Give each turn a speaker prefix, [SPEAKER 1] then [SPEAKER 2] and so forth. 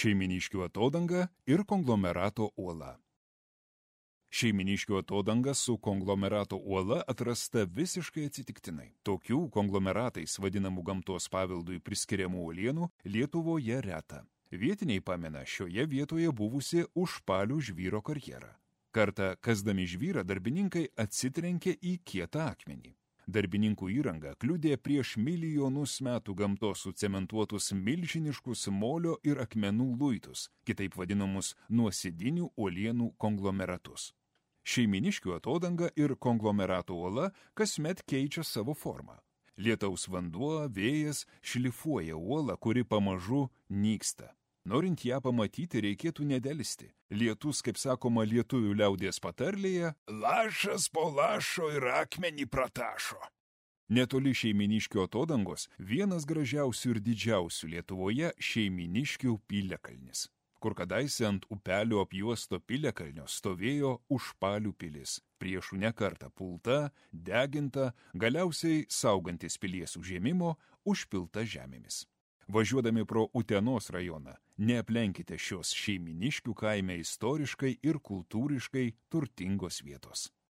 [SPEAKER 1] Šeiminiškių atodanga ir konglomerato uola. Šeiminiškių atodanga su konglomerato uola atrasta visiškai atsitiktinai. Tokių konglomeratais vadinamų gamtos paveldui priskiriamų uolienų Lietuvoje reta. Vietiniai pamena šioje vietoje buvusi Užpalių žvyro karjerą. Kartą kasdami žvyrą darbininkai atsitrenkė į kietą akmenį. Darbininkų įranga kliudė prieš milijonus metų gamtos sucementuotus milžiniškus molio ir akmenų luitus, kitaip vadinamus nuosėdinių uolienų konglomeratus. Šeiminiškių atodanga ir konglomerato uola kasmet keičia savo formą. Lietaus vanduo, vėjas šlifuoja uolą, kuri pamažu nyksta. Norint ją pamatyti, reikėtų nedelsti. Lietus, kaip sakoma lietuvių liaudies patarlėje, lašas po lašo ir akmenį pratašo. Netoli Šeiminiškių atodangos vienas gražiausių ir didžiausių Lietuvoje Šeiminiškių piliakalnis, kur kadaise ant upelio apjuosto piliakalnio stovėjo Užpalių pilis, priešų nekartą pulta, deginta, galiausiai saugantis pilies užėmimo, užpilta žemėmis. Važiuodami pro Utenos rajoną, neaplenkite šios Šeiminiškių kaime istoriškai ir kultūriškai turtingos vietos.